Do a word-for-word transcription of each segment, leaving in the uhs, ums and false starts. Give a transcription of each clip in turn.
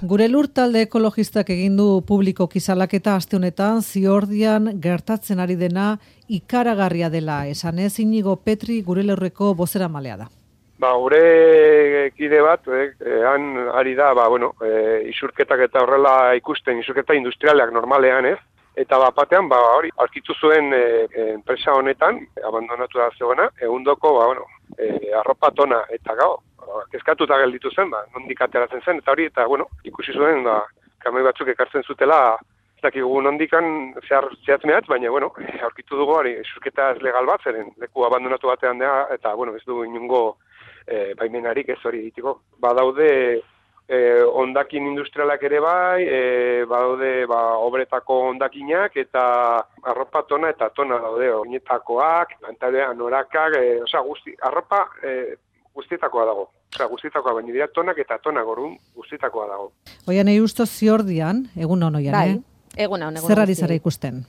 Gure Lur talde ekologistak egin du publiko salaketa aste honetan Ziordian gertatzen ari dena ikaragarria dela. Esanez Inigo Petri Gure Lurreko bozeramailea da. Ba, gure kide bat, eh, han ari da, ba, bueno, eh, isurketak eta horrela ikusten, isurketa industrialeak normalean, ez? Eta bat batean, ba, hori, aurkitu zuen eh, enpresa honetan, abandonatu da zegoena, egundoko, ba, bueno, eh, arropa tona, eta gau, kezkatuta gelditu zen, ba, nondik ateratzen zen, eta hori, eta, bueno, ikusi zuen, ba, kamoi batzuk ekartzen zutela, ez dakigu nondikan zehar zehatz mehatz, baina, bueno, aurkitu dugu, hori, isurketa ez legal bat, zeren leku abandonatu batean da, eta, bueno, ez du inungo E, baimenarik ez hori egiteko. Badaude e, hondakin industrialak ere bai, e, badaude ba, obretako hondakinak eta arropa tona eta tona daude, oinetakoak, pantalean anorakak, e, osea, guzti, arropa e, guztietakoa dago. Osea, guztietakoa, baina dira tonak eta tona gorun guztietakoa dago. Oian Eusto Ziordian, egun hon oian, bai, eh? egun hon, egun Zer ari zara ikusten?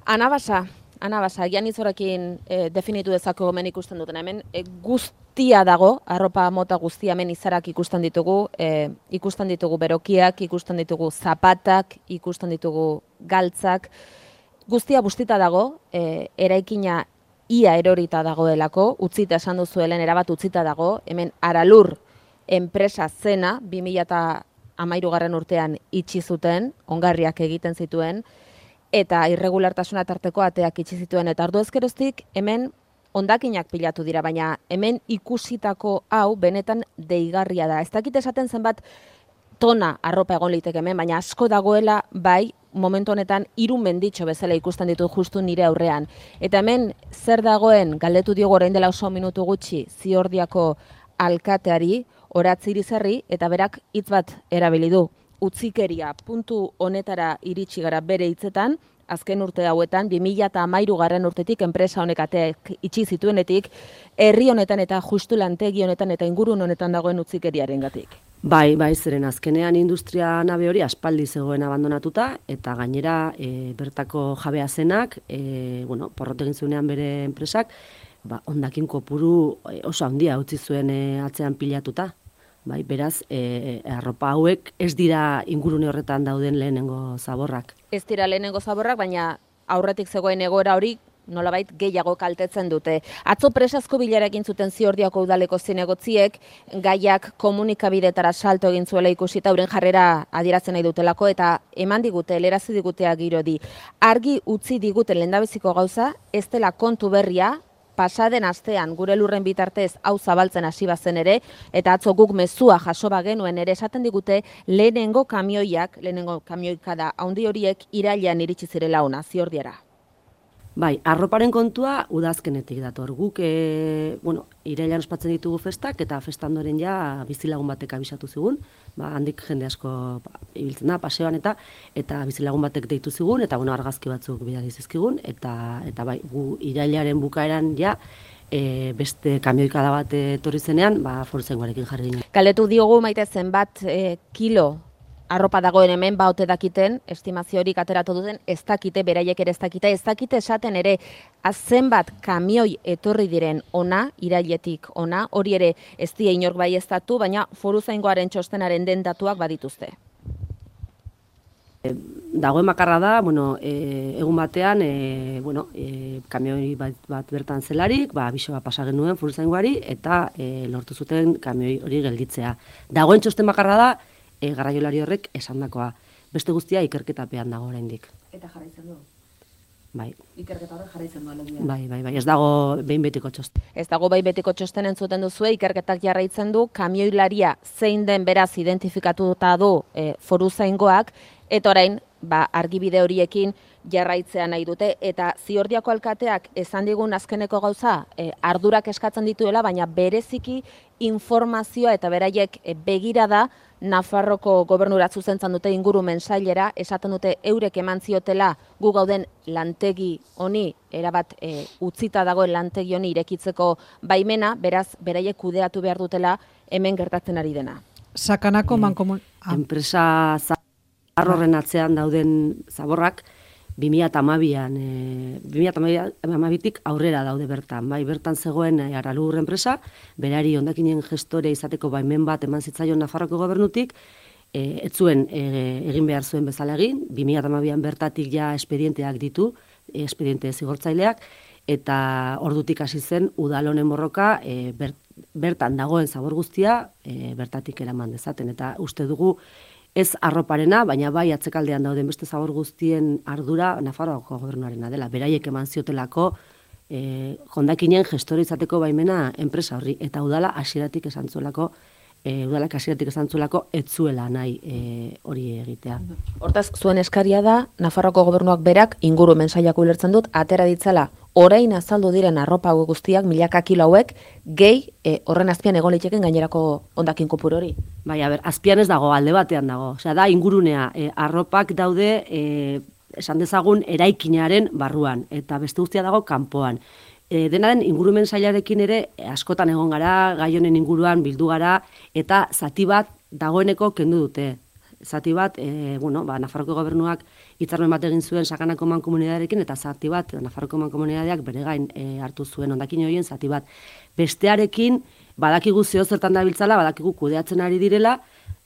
Anabasa, Anabasa, gian izorekin e, definitu dezako gomen ikusten duten. Hemen e, guztia dago, arropa mota guztia hemen izarak ikusten ditugu, e, ikusten ditugu berokiak, ikusten ditugu zapatak, ikusten ditugu galtzak. Guztia bustita dago, e, eraikina ia erorita dagoelako, utzita esan duzuelen, erabat utzita dago, hemen Aralur enpresa zena, bi mila hamairugarren urtean itxi zuten, ongarriak egiten zituen, eta irregulartasuna tarteko ateak itxi zituen, eta ordu ezkeroztik hemen hondakinak pilatu dira, baina hemen ikusitako hau benetan deigarria da. Ez dakit esaten zenbat tona arropa egon liteke hemen, baina asko dagoela bai momentu honetan hiru menditxo bezala ikusten ditu justu nire aurrean. Eta hemen zer dagoen galdetu diogu orain dela oso minutu gutxi Ziordiako alkateari, Oratz Irizarri, eta berak hitz bat erabili du. Utzikeria puntu honetara iritsi gara bere hitzetan, azken urte hauetan, bi mila hamairugarren urtetik enpresa honek ateak itxi zituenetik, herri honetan eta justu lantegi honetan eta ingurun honetan dagoen utzikeriarengatik. Bai, bai, zeren azkenean industria nabe hori aspaldi zegoen abandonatuta, eta gainera e, bertako jabea zenak, e, bueno, porrot egin zuenean bere enpresak, ba, hondakin kopuru oso handia utzi zuen e, atzean pilatuta. Bai, beraz, e, arropa hauek ez dira ingurune horretan dauden lehenengo zaborrak. Ez dira lehenengo zaborrak, baina aurretik zegoen egoera hori nolabait gehiago kaltetzen dute. Atzo presazko bilera egin zuten Ziordiako udaleko zinegotziek, gaiak komunikabidetara salto egin zuela ikusita euren jarrera adierazten nahi dutelako, eta eman digute, helerazi digutea girodi. Argi utzi diguten lehendabiziko gauza, ez dela kontu berria, pasaden astean Gure Lurren bitartez hau zabaltzen hasi bazen ere, eta atzo guk mezua jaso bagenuen ere esaten digute lehenengo kamioiak, lehenengo kamioikada handi horiek irailean iritsi zirela ona Ziordiara. Bai, arroparen kontua udazkenetik dator. Guk, e, bueno, irailean ospatzen ditugu festak, eta festandoren ja bizilagun batek abisatu zigun, ba, handik jende asko ba, ibiltzen da, paseoan eta eta bizilagun batek deitu zigun, eta bueno, argazki batzuk bidali zizkigun, eta, eta bai, gu irailaren bukaeran ja, e, beste kamioikada bat etorri zenean, ba, Foruzaingoarekin jarri ginen. Galdetu diogu Maite zenbat e, kilo arropa dagoen hemen baute dakiten, estimazio horik ateratu duten, ez dakite, beraiek ere ez dakite, ez dakite esaten ere, zenbat kamioi etorri diren ona, irailetik ona, hori ere ez die inork baieztatu, baina Foruzaingoaren txostenaren den datuak badituzte. Dagoen makarra da, bueno, e, egun batean, e, bueno, e, kamioi bat, bat bertan zelarik, ba, biso bat pasa genuen Foruzaingoari, eta e, lortu zuten kamioi hori gelditzea. Dagoen txosten makarra da, E, garraiolari horrek esandakoa. Beste guztia ikerketapean dago oraindik. Eta jarraitzen du? Bai. Ikerketa hori jarraitzen du alegia. Bai, bai, bai. Ez dago behin betiko txosten. Ez dago behin betiko txosten entzuten duzue, ikerketak jarraitzen du, kamioilaria zein den beraz identifikatuta du e, Foruzaingoak, eta orain, ba, argibide horiekin jarraitzea nahi dute, eta Ziordiako alkateak esan digun azkeneko gauza, e, ardurak eskatzen dituela, baina bereziki informazioa eta beraiek e, begirada Nafarroko gobernura zuzentzan dute ingurumen sailera, esaten dute eurek eman ziotela gu gauden lantegi honi, erabat e, utzita dagoen lantegi honi irekitzeko baimena, beraz, beraiek kudeatu behar dutela hemen gertatzen ari dena. Sakanako E, mankomun... Ah. Enpresa zaharren atzean dauden zaborrak, bi mila hamabian, e, bi mila hamabitik aurrera daude bertan. Bai, bertan zegoen e, Aralur enpresa, berari hondakinen gestore izateko baimen bat eman zitzaion Nafarroko gobernutik, e, ez zuen e, egin behar zuen bezala egin, bi mila hamabian bertatik ja espedienteak ditu, espediente zigortzaileak, eta ordutik hasi zen udal honen borroka e, ber, bertan dagoen zabor guztia e, bertatik eraman dezaten. Eta uste dugu ez arroparena, baina bai atzekaldean dauden beste zabor guztien ardura Nafarroako gobernuarena dela. Beraiek eman ziotelako e, hondakinen gestore izateko baimena enpresa horri. Eta udala hasieratik esan zuelako, e, udalak hasieratik esan zuelako ez zuela nahi e, hori egitea. Hortaz, zuen eskaria da, Nafarroako gobernuak berak ingurumen sailak ulertzen dut, atera ditzala orain azaldu diren arropa hauek guztiak, milaka kilo hauek, gehi e, horren azpian egon liteken gainerako hondakin kopuru hori. Bai, a ber, azpian ez dago, alde batean dago. Osea, da ingurunea, e, arropak daude, e, esan dezagun, eraikinaren barruan, eta beste guztia dago kanpoan. E, dena den ingurumen sailarekin ere askotan egon gara, gai honen inguruan bildu gara, eta zati bat dagoeneko kendu dute. Zati bat, e, bueno, ba, Nafarroko gobernuak hitzarmen bat egin zuen Sakanako mankomunitatearekin, eta zati bat, Nafarroko mankomunitateak bere gain e, hartu zuen hondakin horien zati bat. Bestearekin, badakigu zeo zertan dabiltzala, badakigu kudeatzen ari direla,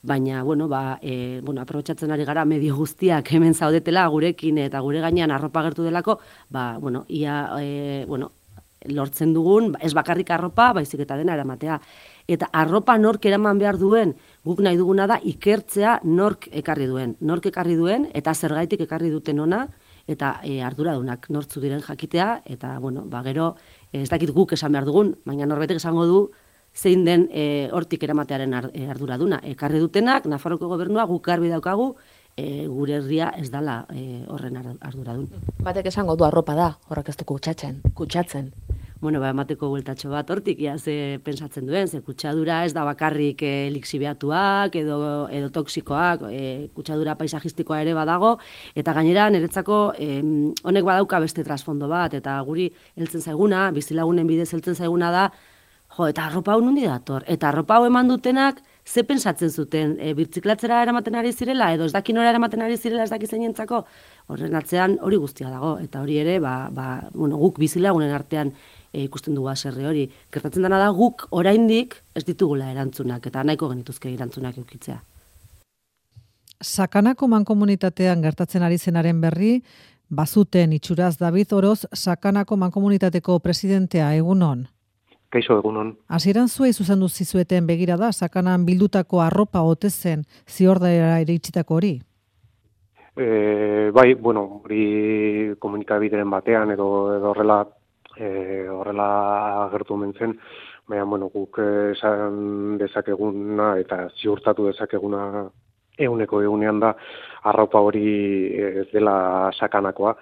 baina, bueno, ba, e, bueno, aprobetxatzen ari gara medio guztiak hemen zaudetela, gurekin eta gure gainean arropa gertu delako, ba, bueno, ia, e, bueno, lortzen dugun, ez bakarrik arropa, baizik eta dena eramatea. Eta arropa nork eraman behar duen, guk nahi duguna da ikertzea nork ekarri duen. Nork ekarri duen, eta zergaitik ekarri duten ona, eta e, arduradunak nortzu diren jakitea, eta, bueno, ba, gero, ez dakit guk esan behar dugun, baina norbaitek esango du, zein den e, hortik eramatearen arduraduna. Ekarri dutenak, Nafarroko gobernua guk garbi daukagu, e, gure herria ez dala e, horren arduradun. Batek esango du arropa da, horrek ez du kutsatzen, kutsatzen. Bueno, ba, emateko bueltatxo bat hortik, ja, ze pensatzen duen, ze kutsadura ez da bakarrik e, lixibiatuak edo, edo toksikoak, e, kutsadura paisajistikoa ere badago, eta gainera niretzako e, honek badauka beste trasfondo bat, eta guri heltzen zaiguna, bizilagunen bidez heltzen zaiguna da, jo, eta arropa hau nundi dator, eta arropa hau eman dutenak, ze pensatzen zuten, e, birtziklatzera eramaten ari zirela, edo ez dakin hori eramaten ari zirela ez dakiz zeinentzako, horren atzean hori guztia dago, eta hori ere, ba, ba, bueno, guk bizilagunen artean E, ikusten dugu aserre hori. Gertatzen dena da guk oraindik ez ditugula erantzunak, eta nahiko genituzke erantzunak eukitzea. Sakanako mankomunitatean gertatzen ari zenaren berri, bazuten itxuraz David Oroz, Sakanako mankomunitateko presidentea, egunon. Kaixo, egunon. Hasieran zuei zuzendu zizueten begirada, Sakanan bildutako arropa ote zen ziordera ere itxitako hori? E, bai, bueno, hori komunikabideren batean edo, edo horrela E, horrela agertu mentzen, baina, bueno, guk esan dezakeguna eta ziurtatu dezakeguna eguneko egunean da, arropa hori ez dela sakanakoa.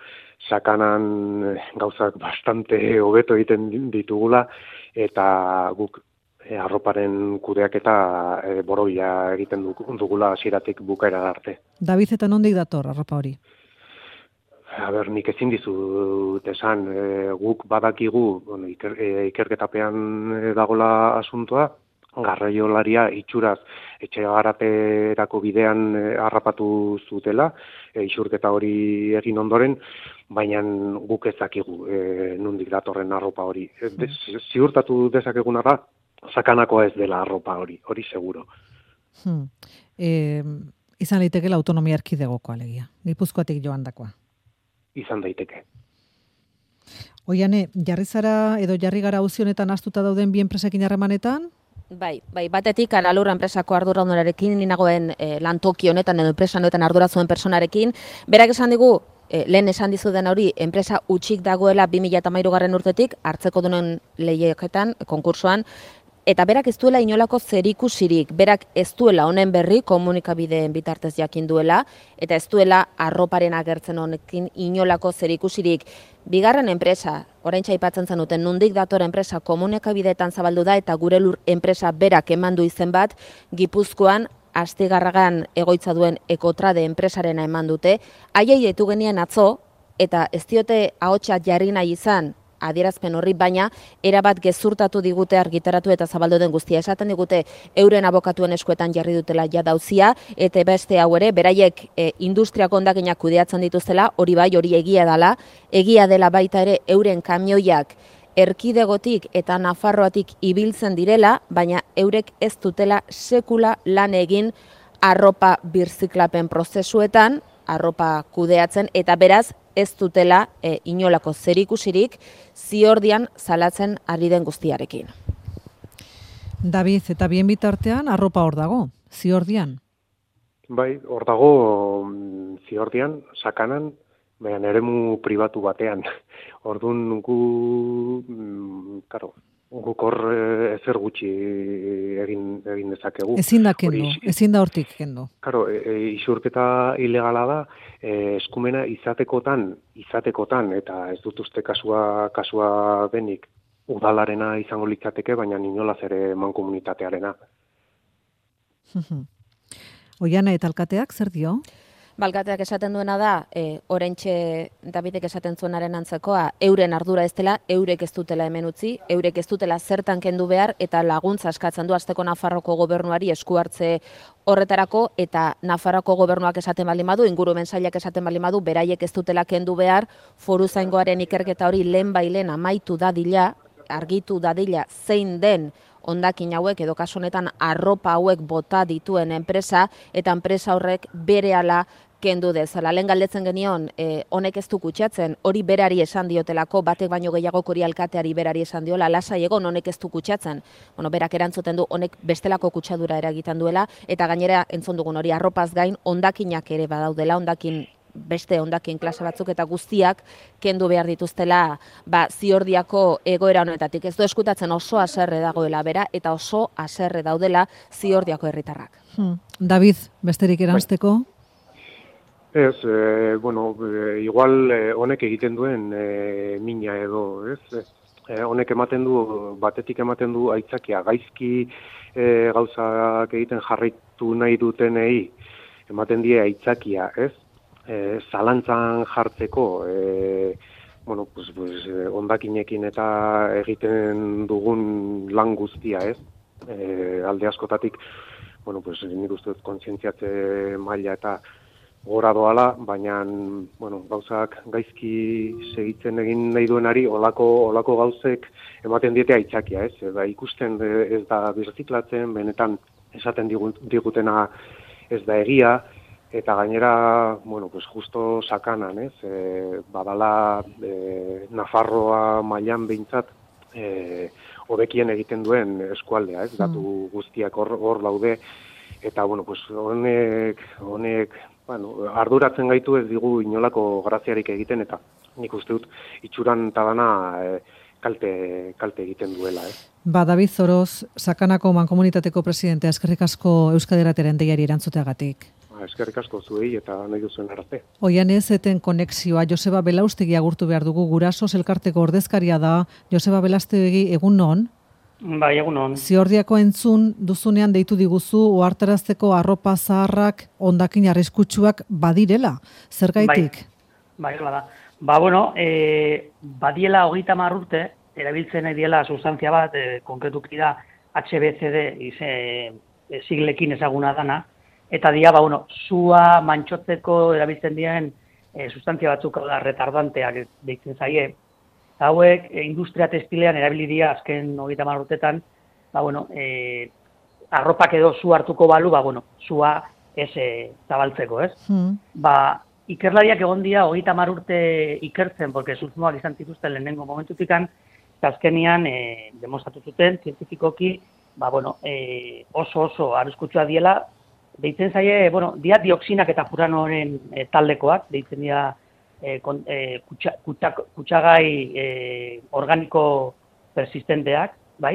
Sakanan gauzak bastante hobeto egiten ditugula, eta guk e, arroparen kudeaketa e, borobila egiten dugula hasieratik bukaera arte. David, eta nondik dator arropa hori? A ber, nik ezin dizut esan, e, guk badakigu, bueno, iker, e, ikerketapean dagola asuntoa, garraiolaria itxuraz etxe garaterako bidean e, harrapatu zutela, e, isurketa hori egin ondoren, baina guk ez dakigu e, nondik datorren arropa hori. E, de, ziurtatu dezakeguna da, Sakanakoa ez dela arropa hori, hori seguro. Hmm. E, izan litekela autonomia erkidegoko alegia, Gipuzkoatik joandakoa. Izan daiteke. Oiane, jarri zara edo jarri gara auzi honetan astuta dauden bi enpresekin harremanetan? Bai, bai, batetik Alalurra enpresako arduradunarekin, ninagoen e, lantoki honetan edo enpresa honetan ardura zuen personarekin, berak esan digu, e, lehen esan dizuden hori, enpresa utxik dagoela bi mila hamairugarren urtetik, hartzeko dunen lehiaketan, konkursoan, eta berak ez duela inolako zerikusirik, berak ez duela honen berri komunikabideen bitartez jakin duela, eta ez duela arroparen agertzen honekin inolako zerikusirik. Bigarren enpresa, oraintxe aipatzen zenuten, nondik dator enpresa komunikabideetan zabaldu da, eta gure lur enpresa berak emandu izen bat, Gipuzkoan Astigarragan egoitza duen Ekotrade enpresarena eman dute, haiei deitu genien atzo, eta ez diote ahotsa jarri nahi izan, adierazpen horri, baina erabat gezurtatu digute argitaratu eta zabaldu den guztia. Esaten digute euren abokatuen eskuetan jarri dutela jadauzia, eta beste hau ere, beraiek e, industriako hondakinak kudeatzen dituztela, hori bai, hori egia dela, egia dela baita ere euren kamioiak erkidegotik eta Nafarroatik ibiltzen direla, baina eurek ez dutela sekula lan egin arropa birziklapen prozesuetan, arropa kudeatzen, eta beraz ez dutela e, inolako zerikusirik Ziordian salatzen ari den guztiarekin. David, eta bien bitartean arropa hor dago, Ziordian? Bai, hor dago Ziordian, Sakanan, baina eremu pribatu batean. Orduan gu, karo, guk hor ezer gutxi egin, egin dezakegu. Ezin da kendu, ezin da hortik kendu. Karo, e, e, isurketa ilegala da, e, eskumena izatekotan, izatekotan, eta ez dut uste kasua, kasua denik, udalarena izango litzateke, baina inolaz ere mankomunitatearena. Oiana eta alkateak zer dio? Balkateak esaten duena da, e, orentxe Davidek esaten zuenaren antzekoa, euren ardura ez dela, eurek ez dutela hemen utzi, eurek ez dutela zertan kendu behar, eta laguntza eskatzen du Azteko Nafarroko gobernuari esku hartze horretarako, eta Nafarroko gobernuak esaten baldin badu, ingurumen sailak esaten baldin badu, beraiek ez dutela kendu behar, foruzaingoaren ikerketa hori lehen bailen amaitu dadila, argitu dadila zein den hondakin hauek edo kasu honetan arropa hauek bota dituen enpresa, eta enpresa horrek berehala kendu dezala. Lehen galdetzen genion, eh, honek ez du kutsatzen, hori berari esan diotelako, batek baino gehiago hori alkateari berari esan diola, lasai egon honek ez du kutsatzen. Bueno, berak erantzuten du, honek bestelako kutsadura eragiten duela, eta gainera entzun dugun hori arropaz gain, hondakinak ere badaudela, hondakin beste hondakin klase batzuk eta guztiak kendu behar dituztela ba, Ziordiako egoera honetatik. Ez du eskutatzen oso haserre dagoela bera eta oso haserre daudela Ziordiako herritarrak. Hmm. David, besterik eranzteko? Ez, e, bueno, e, igual e, honek egiten duen e, mina edo, ez? E, honek ematen du, batetik ematen du aitzakia, gaizki e, gauzak egiten jarraitu nahi dutenei, ematen die aitzakia, ez? E, zalantzan jartzeko, e, bueno, pues, pues, ondakinekin eta egiten dugun lan guztia, ez? E, alde askotatik, bueno, pues, nik uste dut kontzientziatze maila eta gora doala, baina bueno, gauzak gaizki segitzen egin nahi duenari olako, olako gauzek ematen diete aitzakia, ez? Eta ikusten ez da birziklatzen, benetan esaten digutena ez da egia, eta gainera, bueno, pues justo Sakanan, ez? E, badala e, Nafarroa mailan behintzat e, hobekien egiten duen eskualdea, ez? Datu guztiak hor, hor daude, eta bueno, pues honek, honek bueno, arduratzen gaitu ez digu inolako graziarik egiten, eta nik uste dut itxuran eta dana e, kalte, kalte egiten duela. Eh? Ba, David Zoroz, Sakanako mankomunitateko presidentea, eskerrik asko Euskadi Irratiaren deiari erantzuteagatik. Ba, eskerrik asko zuei eta nahi duzuen arte. Oian ez eten konexioa, Joseba Belaustegi agurtu behar dugu, Gurasos elkarteko ordezkaria da. Joseba Belaustegi, egun non? Bai, egun hon. Ziordiako entzun duzunean deitu diguzu ohartarazteko arropa zaharrak hondakin arriskutsuak badirela. Zergaitik? Bai, bai, da. Ba, bueno, e, badiela hogeita hamar urte, erabiltzen nahi diela sustantzia bat, e, konkretuki da H B C D ize, e, siglekin ezaguna dana, eta dia, ba, bueno, sua mantxotzeko erabiltzen dien e, sustantzia batzuk, hau da, retardanteak deitzen zaie. Hauek, e, industria textilean erabili dira azken hogeita hamar urtetan, ba, bueno, e, arropak edo zu hartuko balu, ba, bueno, sua ez e, zabaltzeko, ez? Mm. Ba, ikerlariak egon dira hogeita hamar urte ikertzen, porque susmoak izan zituzten lehenengo momentutikan, eta azkenian e, demostratu zuten, zientifikoki, ba, bueno, e, oso oso arriskutsua diela, deitzen zaie, bueno, dia dioxinak eta furanoren e, taldekoak, deitzen dira E, kon, e, kutsa, kutsa, kutsagai e, organiko persistenteak, bai?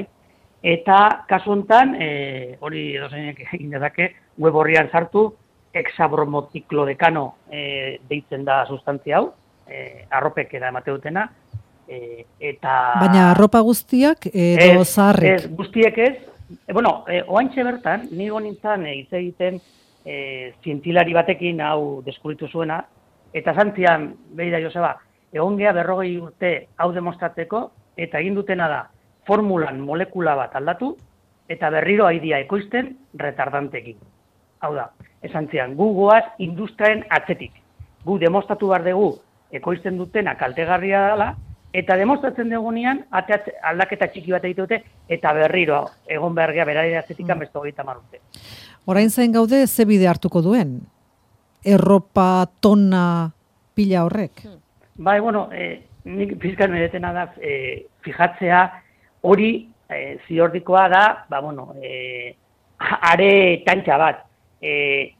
Eta kasu honetan, e, hori edozeinek egin dezake, web horrian sartu, hexabromotiklodekano e, deitzen da sustantzia hau, e, arropek da emate dutena, e, eta... Baina arropa guztiak edo zaharrek? Ez, guztiek ez. E, bueno, e, oantxe bertan, nigo nintzen hitz e, egiten e, zientilari batekin hau deskubritu zuena, eta zantzian, behira Joseba, egon geha berrogei urte hau demostratzeko, eta egin dutena da, formulan molekula bat aldatu, eta berriro haidia ekoizten retardantekin. Hau da, esan zian, gu goaz industriaren atzetik. Gu demostratu behar dugu ekoizten dutena kaltegarria dela, eta demostratzen dugunean aldaketa txiki bat egite dute, eta berriro egon behar geha berari atzetikan beste hogeita hamar urte. Orain zain gaude ze bide hartuko duen? Erropa tona pila horrek? Bai, bueno, eh, nik pizkan meretena da eh, fijatzea hori eh, ziordikoa da, ba, bueno, eh, are tantxa bat. Eh,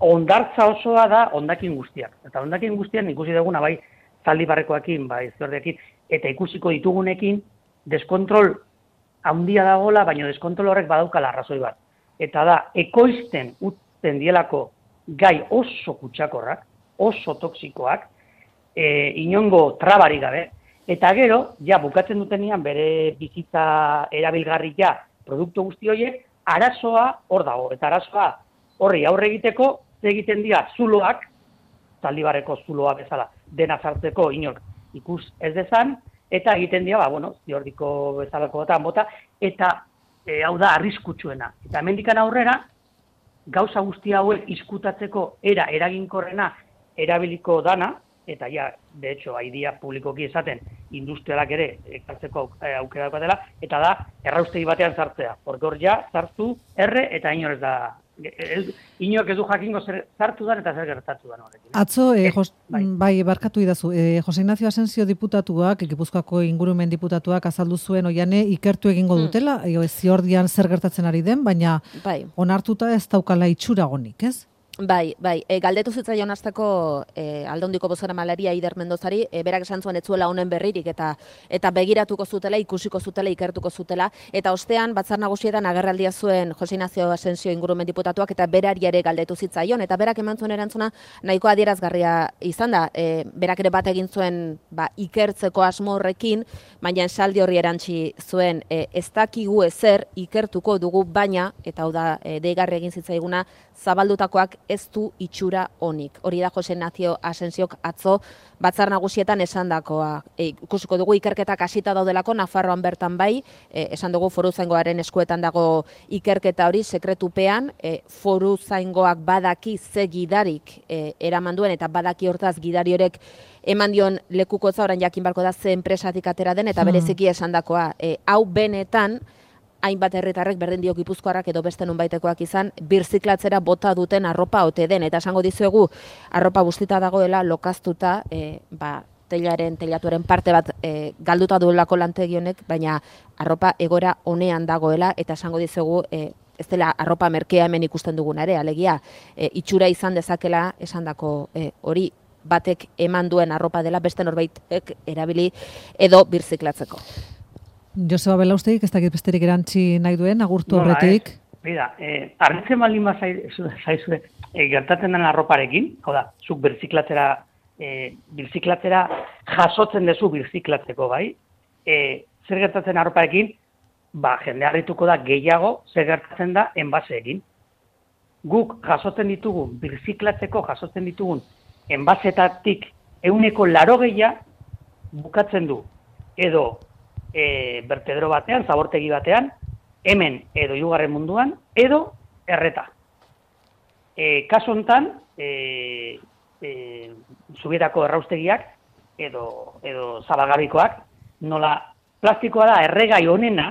ondartza osoa da ondakin guztiak. Eta ondakin guztiak ikusi duguna bai zaldibarrekoekin, bai ziordekin, eta ikusiko ditugunekin deskontrol handia dagola, baina deskontrol horrek badaukala arrazoi bat. Eta da, ekoizten utzen dielako gai oso kutsakorrak, oso toksikoak, e, inongo trabari gabe, eta gero, ja, bukatzen dutenian bere bizitza erabilgarri ja, produktu guzti horiek, arazoa hor dago, eta arazoa horri aurre egiteko, egiten dira zuloak, zaldibarreko zuloa bezala, dena sartzeko inor ikus ez dezan, eta egiten dira, ba, bueno, ziordiko bezalako bota, bota, eta e, hau da arriskutsuena. Eta hemendikan aurrera, gauza guzti hauek izkutatzeko era eraginkorrena erabiliko dana, eta ja, de hecho, haidia publikoki esaten, industrialak ere ekartzeko aukera dela, eta da, erraustegi batean sartzea. Porque hor ja, sartu, erre, eta inor ez da, inork ez du jakingo zer sartu dan eta zer gertatu dan horrekin. Atzo, eh, jos, bai. bai, barkatu idazu, eh, Jose Ignacio Asensio diputatuak, Gipuzkoako ingurumen diputatuak azaldu zuen oiane ikertu egingo dutela, mm. eo, ziordian zer gertatzen ari den, baina bai. Onartuta ez daukala itxuragonik, ez? Bai, bai, e, galdetu zitzaion hasteko e, Aldondiko bozeramaileari Aider Mendozari, e, berak esan zuen ez zuela honen berririk eta eta begiratuko zutela, ikusiko zutela, ikertuko zutela, eta ostean Batzar Nagusietan agerraldia zuen Jose Ignacio Asensio ingurumen diputatuak eta berari ere galdetu zitzaion, eta berak eman zuen erantzuna nahiko adierazgarria izan da, e, berak ere bat egin zuen ba, ikertzeko asmo horrekin, baina esaldi horri erantzi zuen e, ez dakigu ezer ikertuko dugu, baina, eta hau da e, deigarri egin zitzaiguna, zabaldutakoak ez du itxura onik. Hori da Jose Ignacio Asensiok atzo Batzar Nagusietan esandakoa. E, ikusiko dugu ikerketak hasita daudelako Nafarroan bertan bai, e, esan dugu Foruzaingoaren eskuetan dago ikerketa hori sekretupean, e, Foruzaingoak badaki ze gidarik e, eraman duen eta badaki hortaz gidari horek eman dion lekukotza, orain jakin barko da ze enpresatik atera den eta bereziki esandakoa. E, hau benetan hainbat herritarrek berdin dio Gipuzkoarrak edo beste nonbaitekoak izan, birziklatzera bota duten arropa ote den. Eta esango dizuegu, arropa bustita dagoela, lokaztuta, e, ba, telaren, telatuaren parte bat e, galduta duelako lantegi honek, baina arropa egora honean dagoela, eta esango dizuegu, e, ez dela arropa merkea hemen ikusten duguna ere, alegia, e, itxura izan dezakela esandako e, hori batek eman duen arropa dela, beste norbaitek erabili edo birziklatzeko. Joseba Belaustegik ez dakit besterik erantzi nahi duen, agurtu horretik. Bida, eh, arritzen baldin bat zaizue eh, gertatzen den arroparekin, hau da, zuk birziklatzera, eh, birziklatzera jasotzen dezu birziklatzeko, bai? Eh, zer gertatzen arroparekin, ba, jende harrituko da gehiago zer gertatzen da enbaseekin. Guk jasotzen ditugun, birziklatzeko jasotzen ditugun enbasetatik ehuneko laurogeia bukatzen du, edo E, bertedero batean, zabortegi batean, hemen edo hirugarren munduan, edo erreta. E, kasu hontan, e, e, Zubietako erraustegiak edo, edo zabalgarbikoak, nola plastikoa da erregai honena,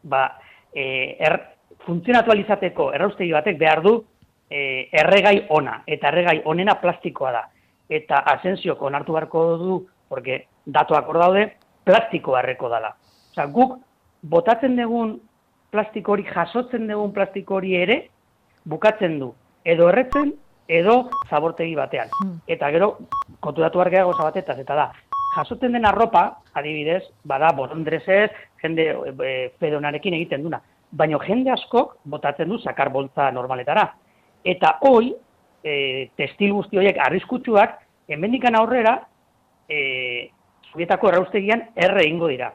ba, e, er, funtzionatualizateko erraustegi batek behar du e, erregai ona, eta erregai honena plastikoa da. Eta Asensiok onartu beharko du, porque datuak hor daude, plastiko harreko dala. Osa, guk botatzen dugun plastiko hori, jasotzen dugun plastiko hori ere, bukatzen du. Edo erretzen, edo zabortegi batean. Eta gero, konturatu hargea goza batetaz, eta da, jasotzen den arropa, adibidez, bada, borondrezez, jende e, fedonarekin egiten duna. Baina jende askok botatzen du zakar boltza normaletara. Eta hoi, e, testil guzti horiek arriskutsuak, hemendikan aurrera, e, Zubietako erraustegian erre egingo dira.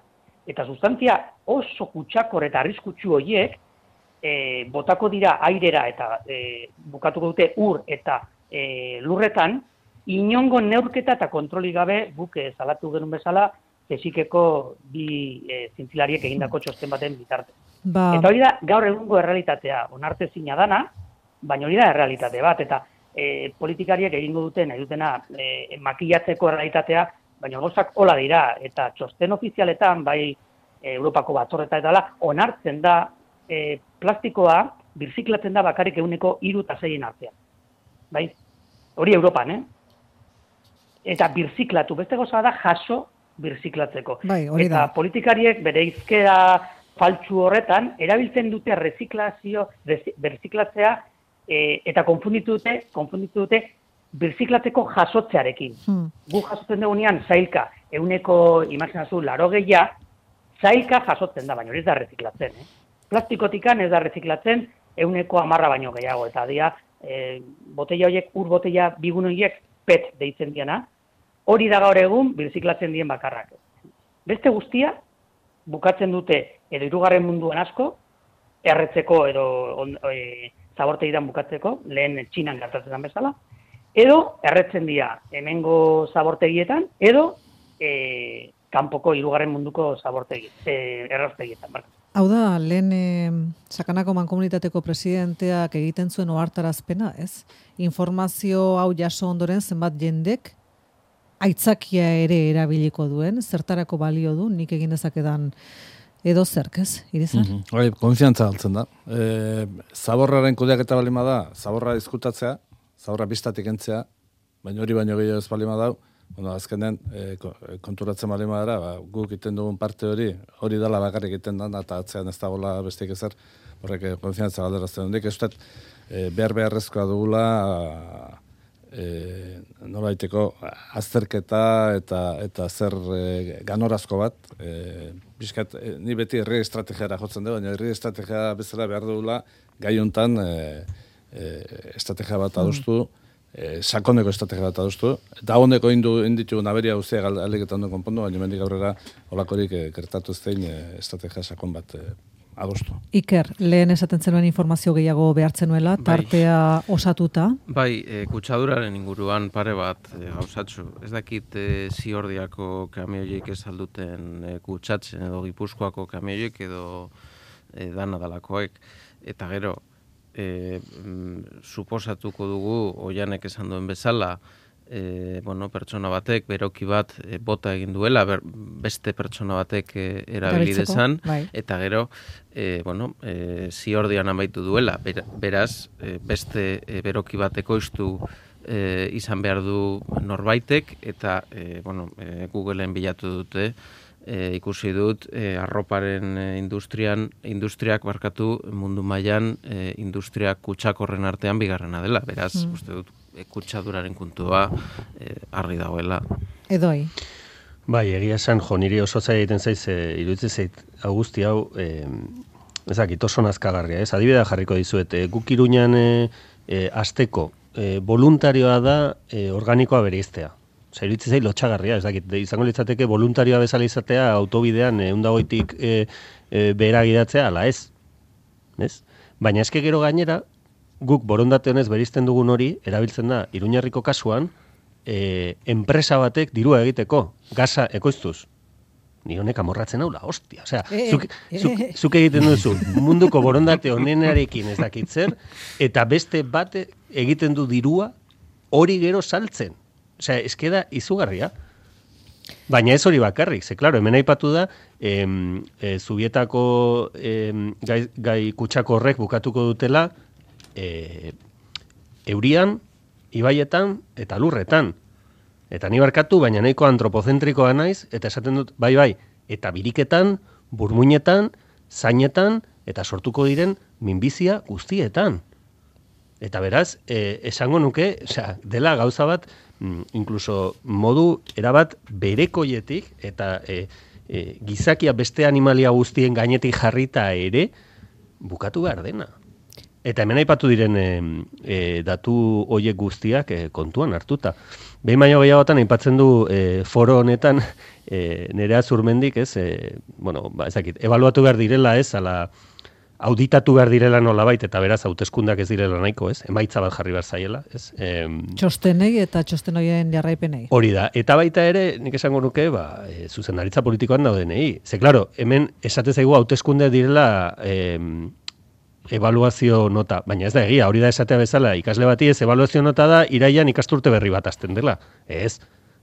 Eta sustantzia oso kutsakor eta arriskutsu horiek e, botako dira airera eta e, bukatuko dute ur eta e, lurretan, inongo neurketa eta kontroli gabe guk e, salatu genuen bezala Zesikeko bi e, zintzilariek egindako txosten baten bitarte. Ba. Eta hori da gaur egungo errealitatea, onartezina dana, baina hori da errealitate bat, eta e, politikariek egingo duten, nahi dutena e, makillatzeko errealitatea, baina gauzak hola dira, eta txosten ofizialetan, bai Europako batzorreta eta dela, onartzen da e, plastikoa birziklatzen da bakarrik euneko hiru eta seien artean. Bai? Hori Europan, eh? Eta birziklatu, beste goza da jaso birziklatzeko. Bai, hori da. Eta politikariek bere izkera faltsu horretan, erabiltzen dute reziklazio, birziklatzea, e, eta konfunditu dute, konfunditu dute, birziklatzeko jasotzearekin. Hmm. Gu jasotzen dugunean, zailka, euneko, imaginazu, laro gehia, zailka jasotzen da, baina hori ez da reziklatzen. Eh? Plastikotikan ez da reziklatzen, euneko amarra baino gehiago, eta dia, e, botella horiek, ur botella bigun horiek, pet deitzen diana, hori da gaur egun, birziklatzen dien bakarrak. Beste guztia, bukatzen dute, edo hirugarren munduan asko, erretzeko edo on, e, zabortegidan bukatzeko, lehen Txinan gertatzen bezala, edo erretzen dira hemengo zabortegietan, edo e, kanpoko hirugarren munduko zabortegi, e, errastegietan. Barka. Hau da, lehen e, Sakanako Mankomunitateko presidenteak egiten zuen ohartarazpena, ez? Informazio hau jaso ondoren zenbat jendek aitzakia ere erabiliko duen, zertarako balio du, nik egin dezakedan edo zerk, ez, Irizar? Mm -hmm. Hori, konfiantza galtzen da. E, zaborraren kudeaketa balima da, zaborra diskutatzea, zaborra biztatik entzea, baina hori baino gehiago ez balima dau, bueno, azkenen e, konturatzen balima dara, ba, guk iten dugun parte hori, hori dala bakarrik egiten da, eta atzean ez dagoela besteik ezer, horrek konfiantza galderazten hondik, ez dut, e, behar beharrezkoa dugula, E, nolaiteko azterketa eta eta zer e, ganorazko bat, e, bizkat, e, ni beti herri estrategiara jotzen dugu, baina herri estrategia bezala behar dugula gai hontan e, e, estrategia bat adostu, e, sakoneko estrategia bat adostu, eta honeko indu inditu naberia guztiak aldeketan duen konpondu, baina mendik aurrera olakorik e, gertatu zein e, estrategia sakon bat e, adostu. Iker, lehen esaten zenuen informazio gehiago behartzen nuela, tartea bai. Osatuta. Bai, e, kutsaduraren inguruan pare bat e, gauzatzu. Ez dakit e, Ziordiako kamioiek ez alduten e, kutsatzen edo Gipuzkoako kamioiek edo e, danadalakoek. Eta gero, e, mm, suposatuko dugu, Oianek esan duen bezala, E, bueno, pertsona batek, beroki bat e, bota egin duela, ber, beste pertsona batek e, erabili dezan, bai. Eta gero, e, bueno, e, Ziordian amaitu duela, ber, beraz, e, beste e, beroki bateko iztu e, izan behar du norbaitek, eta e, bueno, e, Googleen bilatu dute, e, ikusi dut, e, arroparen e, industrian, industriak barkatu mundu mailan e, industriak kutsakorren artean bigarrena dela, beraz, mm. uste dut, kutsaduraren kuntua eh, argi dagoela. Edoi. Bai, egia esan, jo, niri oso zaila egiten zaiz, e, iruditzen zait, Augusti hau, e, ezakit, oso nazkagarria, ez? Adibidea jarriko dizuet, e, guk Iruñan e, e, asteko e, voluntarioa da e, organikoa bereiztea. Osa, iruditzen zait, lotxagarria, ez dakit, izango litzateke voluntarioa bezala izatea autobidean e, undagoitik e, e, behera gidatzea, ala ez? Ez? Baina eske gero gainera, guk borondate honez berizten dugun hori, erabiltzen da, Iruñarriko kasuan, e, enpresa batek dirua egiteko, gaza ekoiztuz. Ni honek amorratzen haula, hostia. Osea, e, zuk, e, zuk, zuk egiten duzu munduko borondate honenarekin ez dakit zer, eta beste bate egiten du dirua hori gero saltzen. Osea, eskeda izugarria. Baina ez hori bakarrik, ze, klaro, hemen aipatu da, em, e, Zubietako em, gai, gai kutsako horrek bukatuko dutela, E, eurian, ibaietan eta lurretan. Eta ni barkatu, baina nahiko antropozentrikoa naiz, eta esaten dut, bai, bai, eta biriketan, burmuinetan, zainetan, eta sortuko diren minbizia guztietan. Eta beraz, e, esango nuke, osea, dela gauza bat, inkluso modu erabat berekoietik, eta e, e, gizakia beste animalia guztien gainetik jarrita ere, bukatu behar dena. Eta hemen aipatu diren e, e, datu hoiek guztiak e, kontuan hartuta. Behin baino gehiagotan aipatzen du e, foro honetan e, Nerea Zurmendik, ez, e, bueno, ba, ezakit, ebaluatu behar direla, ez, ala auditatu behar direla nolabait, eta beraz hauteskundak ez direla nahiko, ez, emaitza bat jarri behar zaiela, ez. E, txostenei eta txosten horien jarraipenei. Hori da, eta baita ere, nik esango nuke, ba, e, zuzendaritza politikoan daudenei. Ze, klaro, hemen esate zaigu hauteskunde direla e, evaluazio nota, baina ez da egia, hori da esatea bezala, ikasle bati ez evaluazio nota da, iraian ikasturte berri bat azten dela. Ez,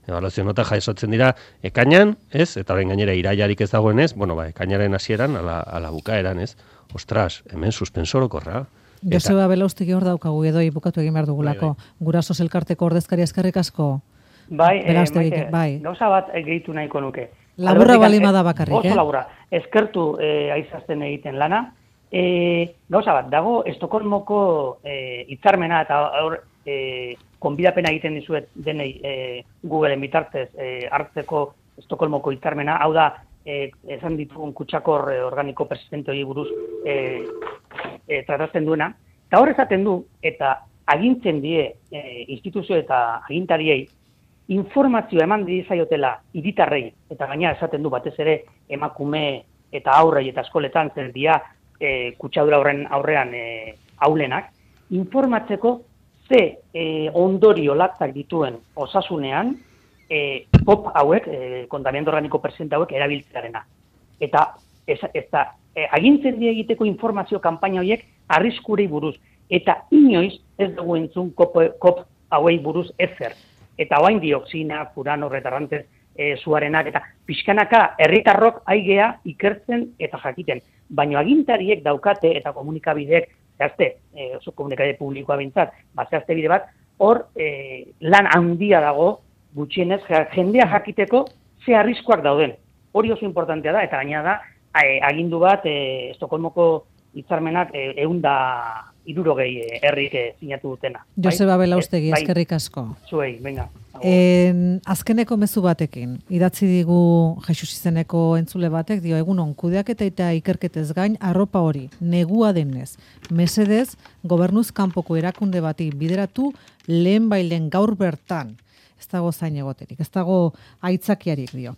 evaluazio nota jasotzen dira ekainan, ez, eta horren gainera iraiarik ez dagoen ez, bueno, ba, ekainaren hasieran, ala, ala bukaeran, ez. Ostras, hemen suspensorokorra. Joseba Belaustegi hor daukagu edo bukatu egin behar dugulako. Bai, bai. Gurasos elkarteko ordezkaria eskerrik asko. Bai, eh, maite, bai. Gauza bat gehitu nahiko nuke. Laburra balima da bakarrik, oso eh? Oso laburra. Eskertu eh, aizazten egiten lana. Eh, gauza bat, dago Estokolmoko eh, hitzarmena eta hor eh, konbidapena egiten dizuet denei eh, Googleen bitartez eh, hartzeko Estokolmoko hitzarmena. Hau da, eh, esan ditugun kutsakor eh, organiko persistente hori buruz eh, eh, tratatzen duena. Eta hor esaten du, eta agintzen die eh, instituzio eta agintariei, informazioa eman dizaiotela hiritarrei, eta gaina esaten du batez ere emakume eta aurrei eta eskoletan zer dia e, kutsadura horren aurrean e, aulenak, informatzeko ze e, ondorio latzak dituen osasunean e, pop hauek, e, kontamiento organiko persistente hauek erabiltzearena. Eta ez, ez da, e, agintzen die egiteko informazio kanpaina horiek arriskurei buruz, eta inoiz ez dugu entzun kop, kop hauei buruz ezer. Eta oain dioxina, furano, retarrantez, e, zuarenak, eta pixkanaka herritarrok aigea ikertzen eta jakiten. Baina agintariek daukate eta komunikabideek, zehazte, e, oso komunikabide publikoa bintzat, bat zehazte bide bat, hor e, lan handia dago gutxienez jendea jakiteko ze arriskuak dauden. Hori oso importantea da, eta gaina da, e, agindu bat, e, Estokolmoko hitzarmenak e, eunda irurogei herrik sinatu dutena. Joseba Belaustegi, bai, eskerrik asko. Zuei, venga. En, azkeneko mezu batekin, idatzi digu Jesus izeneko entzule batek, dio egunon kudeaketa eta ikerketez gain arropa hori, negua denez, mesedez, gobernuz kanpoko erakunde bati bideratu lehen bailen gaur bertan. Ez dago zain egoterik, ez dago aitzakiarik dio.